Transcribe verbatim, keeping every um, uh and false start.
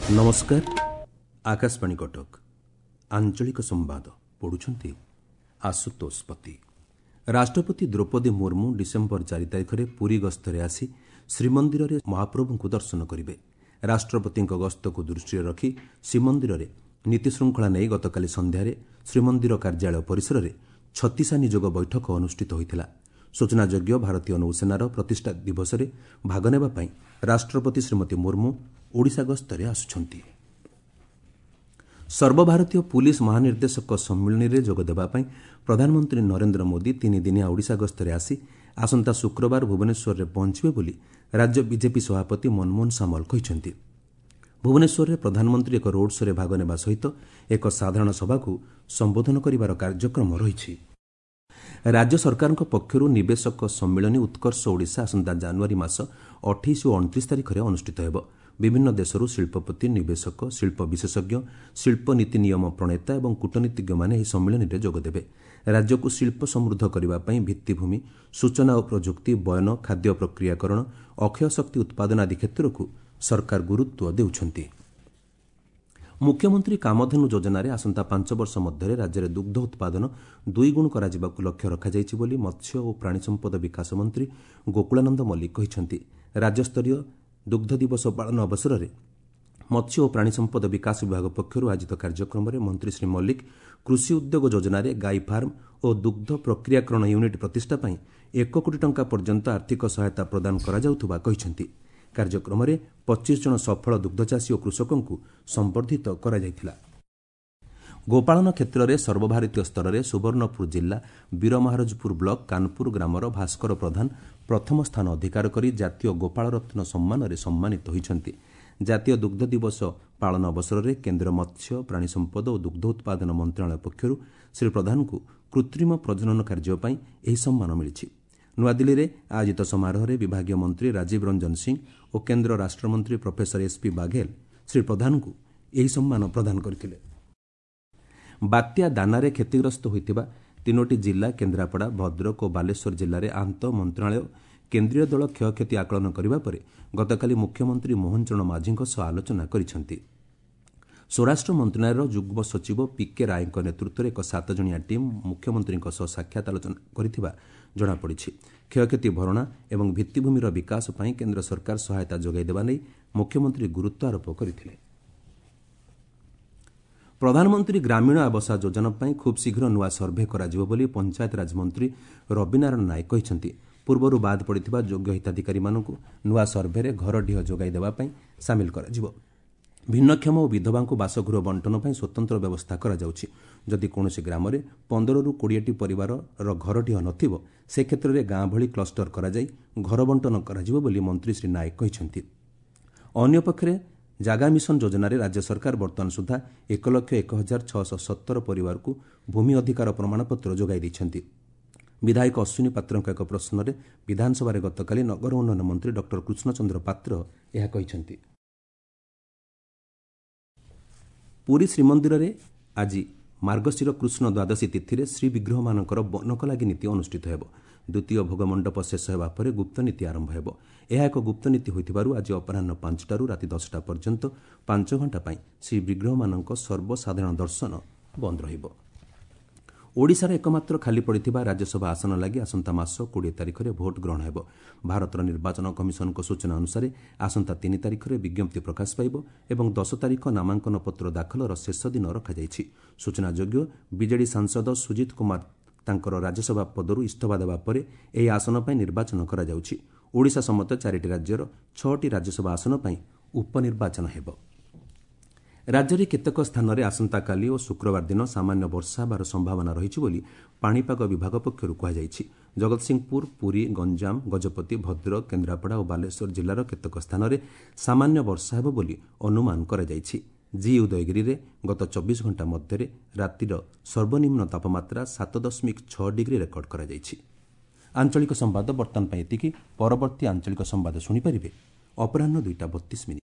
ନମସ୍କାର, ଆକାଶବାଣୀ କଟକ, ଆଞ୍ଚଳିକ ସମ୍ବାଦ ପଢ଼ୁଛନ୍ତି ଆଶୁତୋଷ ପତି। ରାଷ୍ଟ୍ରପତି ଦ୍ରୌପଦୀ ମୁର୍ମୁ ଡିସେମ୍ବର ଚାରି ତାରିଖରେ ପୁରୀ ଗସ୍ତରେ ଆସି ଶ୍ରୀମନ୍ଦିରରେ ମହାପ୍ରଭୁଙ୍କୁ ଦର୍ଶନ କରିବେ। ରାଷ୍ଟ୍ରପତିଙ୍କ ଗସ୍ତକୁ ଦୃଷ୍ଟିରେ ରଖି ଶ୍ରୀମନ୍ଦିରରେ ନୀତିଶୃଙ୍ଖଳା ନେଇ ଗତକାଲି ସନ୍ଧ୍ୟାରେ ଶ୍ରୀମନ୍ଦିର କାର୍ଯ୍ୟାଳୟ ପରିସରରେ ଛତିଶା ନିଯୋଗ ବୈଠକ ଅନୁଷ୍ଠିତ ହୋଇଥିଲା। ସୂଚନାଯୋଗ୍ୟ, ଭାରତୀୟ ନୌସେନାର ପ୍ରତିଷ୍ଠା ଦିବସରେ ଭାଗ ନେବା ପାଇଁ ରାଷ୍ଟ୍ରପତି ଶ୍ରୀମତୀ ମୁର୍ମୁ ଓଡ଼ିଶା ଗସ୍ତରେ ଆସୁଛନ୍ତି। ସର୍ବଭାରତୀୟ ପୁଲିସ୍ ମହାନିର୍ଦ୍ଦେଶକ ସମ୍ମିଳନୀରେ ଯୋଗଦେବା ପାଇଁ ପ୍ରଧାନମନ୍ତ୍ରୀ ନରେନ୍ଦ୍ର ମୋଦି ତିନିଦିନିଆ ଓଡ଼ିଶା ଗସ୍ତରେ ଆସି ଆସନ୍ତା ଶୁକ୍ରବାର ଭୁବନେଶ୍ୱରରେ ପହଞ୍ଚିବେ ବୋଲି ରାଜ୍ୟ ବିଜେପି ସଭାପତି ମନମୋହନ ସାମଲ କହିଛନ୍ତି। ଭୁବନେଶ୍ୱରରେ ପ୍ରଧାନମନ୍ତ୍ରୀ ଏକ ରୋଡ୍ ଶୋରେ ଭାଗ ନେବା ସହିତ ଏକ ସାଧାରଣ ସଭାକୁ ସମ୍ବୋଧନ କରିବାର କାର୍ଯ୍ୟକ୍ରମ ରହିଛି। ରାଜ୍ୟ ସରକାରଙ୍କ ପକ୍ଷରୁ ନିବେଶକ ସମ୍ମିଳନୀ ଉତ୍କର୍ଷ ଓଡ଼ିଶା ଆସନ୍ତା ଜାନୁଆରୀ ମାସ ଅଠେଇଶ ଓ ଅଣତିରିଶ ତାରିଖରେ ଅନୁଷ୍ଠିତ ହେବ। ବିଭିନ୍ନ ଦେଶରୁ ଶିଳ୍ପପତି, ନିବେଶକ, ଶିଳ୍ପ ବିଶେଷଜ୍ଞ, ଶିଳ୍ପ ନୀତି ନିୟମ ପ୍ରଣେତା ଏବଂ କୂଟନୀତିଜ୍ଞମାନେ ଏହି ସମ୍ମିଳନୀରେ ଯୋଗଦେବେ। ରାଜ୍ୟକୁ ଶିଳ୍ପ ସମୃଦ୍ଧ କରିବା ପାଇଁ ଭିତ୍ତିଭୂମି, ସୂଚନା ଓ ପ୍ରଯୁକ୍ତି, ବୟନ, ଖାଦ୍ୟ ପ୍ରକ୍ରିୟାକରଣ, ଅକ୍ଷୟ ଶକ୍ତି ଉତ୍ପାଦନ ଆଦି କ୍ଷେତ୍ରକୁ ସରକାର ଗୁରୁତ୍ୱ ଦେଉଛନ୍ତି। ମୁଖ୍ୟମନ୍ତ୍ରୀ କାମଧେନୁ ଯୋଜନାରେ ଆସନ୍ତା ପାଞ୍ଚ ବର୍ଷ ମଧ୍ୟରେ ରାଜ୍ୟରେ ଦୁଗ୍ଧ ଉତ୍ପାଦନ ଦୁଇଗୁଣ କରାଯିବାକୁ ଲକ୍ଷ୍ୟ ରଖାଯାଇଛି ବୋଲି ମତ୍ସ୍ୟ ଓ ପ୍ରାଣୀ ସମ୍ପଦ ବିକାଶ ମନ୍ତ୍ରୀ ଗୋକୁଳାନନ୍ଦ ମଲ୍ଲିକ କହିଛନ୍ତି। ରାଜ୍ୟସ୍ତରୀୟ ଦୁଗ୍ଧ ଦିବସ ପାଳନ ଅବସରରେ ମତ୍ସ୍ୟ ଓ ପ୍ରାଣୀ ସମ୍ପଦ ବିକାଶ ବିଭାଗ ପକ୍ଷରୁ ଆୟୋଜିତ କାର୍ଯ୍ୟକ୍ରମରେ ମନ୍ତ୍ରୀ ଶ୍ରୀ ମଲ୍ଲିକ କୃଷି ଉଦ୍ୟୋଗ ଯୋଜନାରେ ଗାଈ ଫାର୍ମ ଓ ଦୁଗ୍ଧ ପ୍ରକ୍ରିୟାକରଣ ୟୁନିଟ୍ ପ୍ରତିଷ୍ଠା ପାଇଁ ଏକ କୋଟି ଟଙ୍କା ପର୍ଯ୍ୟନ୍ତ ଆର୍ଥିକ ସହାୟତା ପ୍ରଦାନ କରାଯାଉଥିବା କହିଛନ୍ତି। କାର୍ଯ୍ୟକ୍ରମରେ ପଚିଶ ଜଣ ସଫଳ ଦୁଗ୍ଧଚାଷୀ ଓ କୃଷକଙ୍କୁ ସମ୍ବର୍ଦ୍ଧିତ କରାଯାଇଥିଲା। ଗୋପାଳନ କ୍ଷେତ୍ରରେ ସର୍ବଭାରତୀୟ ସ୍ତରରେ ସୁବର୍ଣ୍ଣପୁର ଜିଲ୍ଲା ବୀରମହାରାଜପୁର ବ୍ଲକ କାନପୁର ଗ୍ରାମର ଭାସ୍କର ପ୍ରଧାନ ପ୍ରଥମ ସ୍ଥାନ ଅଧିକାର କରି ଜାତୀୟ ଗୋପାଳ ରତ୍ନ ସମ୍ମାନରେ ସମ୍ମାନିତ ହୋଇଛନ୍ତି। ଜାତୀୟ ଦୁଗ୍ଧ ଦିବସ ପାଳନ ଅବସରରେ କେନ୍ଦ୍ର ମତ୍ସ୍ୟ, ପ୍ରାଣୀ ସମ୍ପଦ ଓ ଦୁଗ୍ଧ ଉତ୍ପାଦନ ମନ୍ତ୍ରଣାଳୟ ପକ୍ଷରୁ ଶ୍ରୀ ପ୍ରଧାନଙ୍କୁ କୃତ୍ରିମ ପ୍ରଜନନ କାର୍ଯ୍ୟ ପାଇଁ ଏହି ସମ୍ମାନ ମିଳିଛି। ନୂଆଦିଲ୍ଲୀରେ ଆୟୋଜିତ ସମାରୋହରେ ବିଭାଗୀୟ ମନ୍ତ୍ରୀ ରାଜୀବ ରଞ୍ଜନ ସିଂ ଓ କେନ୍ଦ୍ର ରାଷ୍ଟ୍ରମନ୍ତ୍ରୀ ପ୍ରଫେସର ଏସ୍ପି ବାଘେଲ ଶ୍ରୀ ପ୍ରଧାନଙ୍କୁ ଏହି ସମ୍ମାନ ପ୍ରଦାନ କରିଥିଲେ। ବାତ୍ୟା ଦାନାରେ କ୍ଷତିଗ୍ରସ୍ତ ହୋଇଥିବା ତିନୋଟି ଜିଲ୍ଲା କେନ୍ଦ୍ରାପଡ଼ା, ଭଦ୍ରକ ଓ ବାଲେଶ୍ୱର ଜିଲ୍ଲାରେ ଆନ୍ତଃ ମନ୍ତ୍ରଣାଳୟ କେନ୍ଦ୍ରୀୟ ଦଳ କ୍ଷୟକ୍ଷତି ଆକଳନ କରିବା ପରେ ଗତକାଲି ମୁଖ୍ୟମନ୍ତ୍ରୀ ମୋହନ ଚରଣ ମାଝୀଙ୍କ ସହ ଆଲୋଚନା କରିଛନ୍ତି। ସ୍ୱରାଷ୍ଟ୍ର ମନ୍ତ୍ରଣାଳୟର ଯୁଗ୍ମ ସଚିବ ପିକେ ରାୟଙ୍କ ନେତୃତ୍ୱରେ ଏକ ସାତଜଣିଆ ଟିମ୍ ମୁଖ୍ୟମନ୍ତ୍ରୀଙ୍କ ସହ ସାକ୍ଷାତ ଆଲୋଚନା କରିଥିବା ଜଣାପଡ଼ିଛି। କ୍ଷୟକ୍ଷତି ଭରଣା ଏବଂ ଭିତ୍ତିଭୂମିର ବିକାଶ ପାଇଁ କେନ୍ଦ୍ର ସରକାର ସହାୟତା ଯୋଗାଇ ଦେବା ନେଇ ମୁଖ୍ୟମନ୍ତ୍ରୀ ଗୁରୁତ୍ୱ ଆରୋପ କରିଥିଲେ। ପ୍ରଧାନମନ୍ତ୍ରୀ ଗ୍ରାମୀଣ ଆବାସ ଯୋଜନା ପାଇଁ ଖୁବ୍ ଶୀଘ୍ର ନୂଆ ସର୍ଭେ କରାଯିବ ବୋଲି ପଞ୍ଚାୟତରାଜ ମନ୍ତ୍ରୀ ରବିନାରାୟଣ ନାୟକ କହିଛନ୍ତି। ପୂର୍ବରୁ ବାଦ୍ ପଡ଼ିଥିବା ଯୋଗ୍ୟ ହିତାଧିକାରୀମାନଙ୍କୁ ନୂଆ ସର୍ଭେରେ ଘରଡିହ ଯୋଗାଇ ଦେବା ପାଇଁ ସାମିଲ କରାଯିବ। ଭିନ୍ନକ୍ଷମ ଓ ବିଧବାଙ୍କୁ ବାସଗୃହ ବଣ୍ଟନ ପାଇଁ ସ୍ୱତନ୍ତ୍ର ବ୍ୟବସ୍ଥା କରାଯାଉଛି। ଯଦି କୌଣସି ଗ୍ରାମରେ ପନ୍ଦରରୁ କୋଡ଼ିଏଟି ପରିବାରର ଘରଡିହ ନଥିବ, ସେ କ୍ଷେତ୍ରରେ ଗାଁ ଭଳି କ୍ଲଷ୍ଟର କରାଯାଇ ଘର ବଣ୍ଟନ କରାଯିବ ବୋଲି ମନ୍ତ୍ରୀ ଶ୍ରୀ ନାୟକ କହିଛନ୍ତି। ଅନ୍ୟପକ୍ଷରେ ଜାଗା ମିଶନ ଯୋଜନାରେ ରାଜ୍ୟ ସରକାର ବର୍ତ୍ତମାନ ସୁଦ୍ଧା ଏକ ଲକ୍ଷ ଏକ ହଜାର ଛଅଶହ ସତର ପରିବାରକୁ ଭୂମି ଅଧିକାର ପ୍ରମାଣପତ୍ର ଯୋଗାଇ ଦେଇଛନ୍ତି। ବିଧାୟକ ଅଶ୍ୱିନୀ ପାତ୍ରଙ୍କ ଏକ ପ୍ରଶ୍ନରେ ବିଧାନସଭାରେ ଗତକାଲି ନଗର ଉନ୍ନୟନ ମନ୍ତ୍ରୀ ଡକ୍ଟର କୃଷ୍ଣଚନ୍ଦ୍ର ପାତ୍ର ଏହା କହିଛନ୍ତି। ପୁରୀ ଶ୍ରୀମନ୍ଦିରରେ ଆଜି ମାର୍ଗଶିର କୃଷ୍ଣ ଦ୍ୱାଦଶୀ ତିଥିରେ ଶ୍ରୀବିଗ୍ରହମାନଙ୍କର ବନକଲାଗି ନୀତି ଅନୁଷ୍ଠିତ ହେବ। ଦ୍ୱିତୀୟ ଭୋଗମଣ୍ଡପ ଶେଷ ହେବା ପରେ ଗୁପ୍ତନୀତି ଆରମ୍ଭ ହେବ। ଏହା ଏକ ଗୁପ୍ତନୀତି ହୋଇଥିବାରୁ ଆଜି ଅପରାହ୍ନ ପାଞ୍ଚଟାରୁ ରାତି ଦଶଟା ପର୍ଯ୍ୟନ୍ତ ପାଞ୍ଚ ଘଣ୍ଟା ପାଇଁ ଶ୍ରୀବିଗ୍ରହମାନଙ୍କ ସର୍ବସାଧାରଣ ଦର୍ଶନ ବନ୍ଦ ରହିବ। ଓଡ଼ିଶାର ଏକମାତ୍ର ଖାଲି ପଡ଼ିଥିବା ରାଜ୍ୟସଭା ଆସନ ଲାଗି ଆସନ୍ତା ମାସ କୋଡ଼ିଏ ତାରିଖରେ ଭୋଟ ଗ୍ରହଣ ହେବ। ଭାରତର ନିର୍ବାଚନ କମିଶନଙ୍କ ସୂଚନା ଅନୁସାରେ ଆସନ୍ତା ତିନି ତାରିଖରେ ବିଜ୍ଞପ୍ତି ପ୍ରକାଶ ପାଇବ ଏବଂ ଦଶ ତାରିଖ ନାମାଙ୍କନ ପତ୍ର ଦାଖଲର ଶେଷ ଦିନ ରଖାଯାଇଛି। ସୂଚନାଯୋଗ୍ୟ, ବିଜେଡି ସାଂସଦ ସୁଜିତ କୁମାର ତାଙ୍କର ରାଜ୍ୟସଭା ପଦରୁ ଇସ୍ତଫା ଦେବା ପରେ ଏହି ଆସନ ପାଇଁ ନିର୍ବାଚନ କରାଯାଉଛି। ଓଡ଼ିଶା ସମେତ ଚାରିଟି ରାଜ୍ୟର ଛଅଟି ରାଜ୍ୟସଭା ଆସନ ପାଇଁ ଉପନିର୍ବାଚନ ହେବ। ରାଜ୍ୟରେ କେତେକ ସ୍ଥାନରେ ଆସନ୍ତାକାଲି ଓ ଶୁକ୍ରବାର ଦିନ ସାମାନ୍ୟ ବର୍ଷା ହେବାର ସମ୍ଭାବନା ରହିଛି ବୋଲି ପାଣିପାଗ ବିଭାଗ ପକ୍ଷରୁ କୁହାଯାଇଛି। ଜଗତସିଂହପୁର, ପୁରୀ, ଗଞ୍ଜାମ, ଗଜପତି, ଭଦ୍ରକ, କେନ୍ଦ୍ରାପଡ଼ା ଓ ବାଲେଶ୍ୱର ଜିଲ୍ଲାର କେତେକ ସ୍ଥାନରେ ସାମାନ୍ୟ ବର୍ଷା ହେବ ବୋଲି ଅନୁମାନ କରାଯାଇଛି। ଜି ଉଦୟଗିରିରେ ଗତ ଚବିଶ ଘଣ୍ଟା ମଧ୍ୟରେ ରାତିର ସର୍ବନିମ୍ନ ତାପମାତ୍ରା ସାତ ଦଶମିକ ଛଅ ଡିଗ୍ରୀ ରେକର୍ଡ କରାଯାଇଛି। ଆଞ୍ଚଳିକ ସମ୍ବାଦ ବର୍ତ୍ତମାନ ପାଇଁ ଏତିକି। ପରବର୍ତ୍ତୀ ଆଞ୍ଚଳିକ ସମ୍ବାଦ ଶୁଣିପାରିବେ ଅପରାହ୍ନ ଦୁଇଟା ବତିଶ ମିନିଟ୍।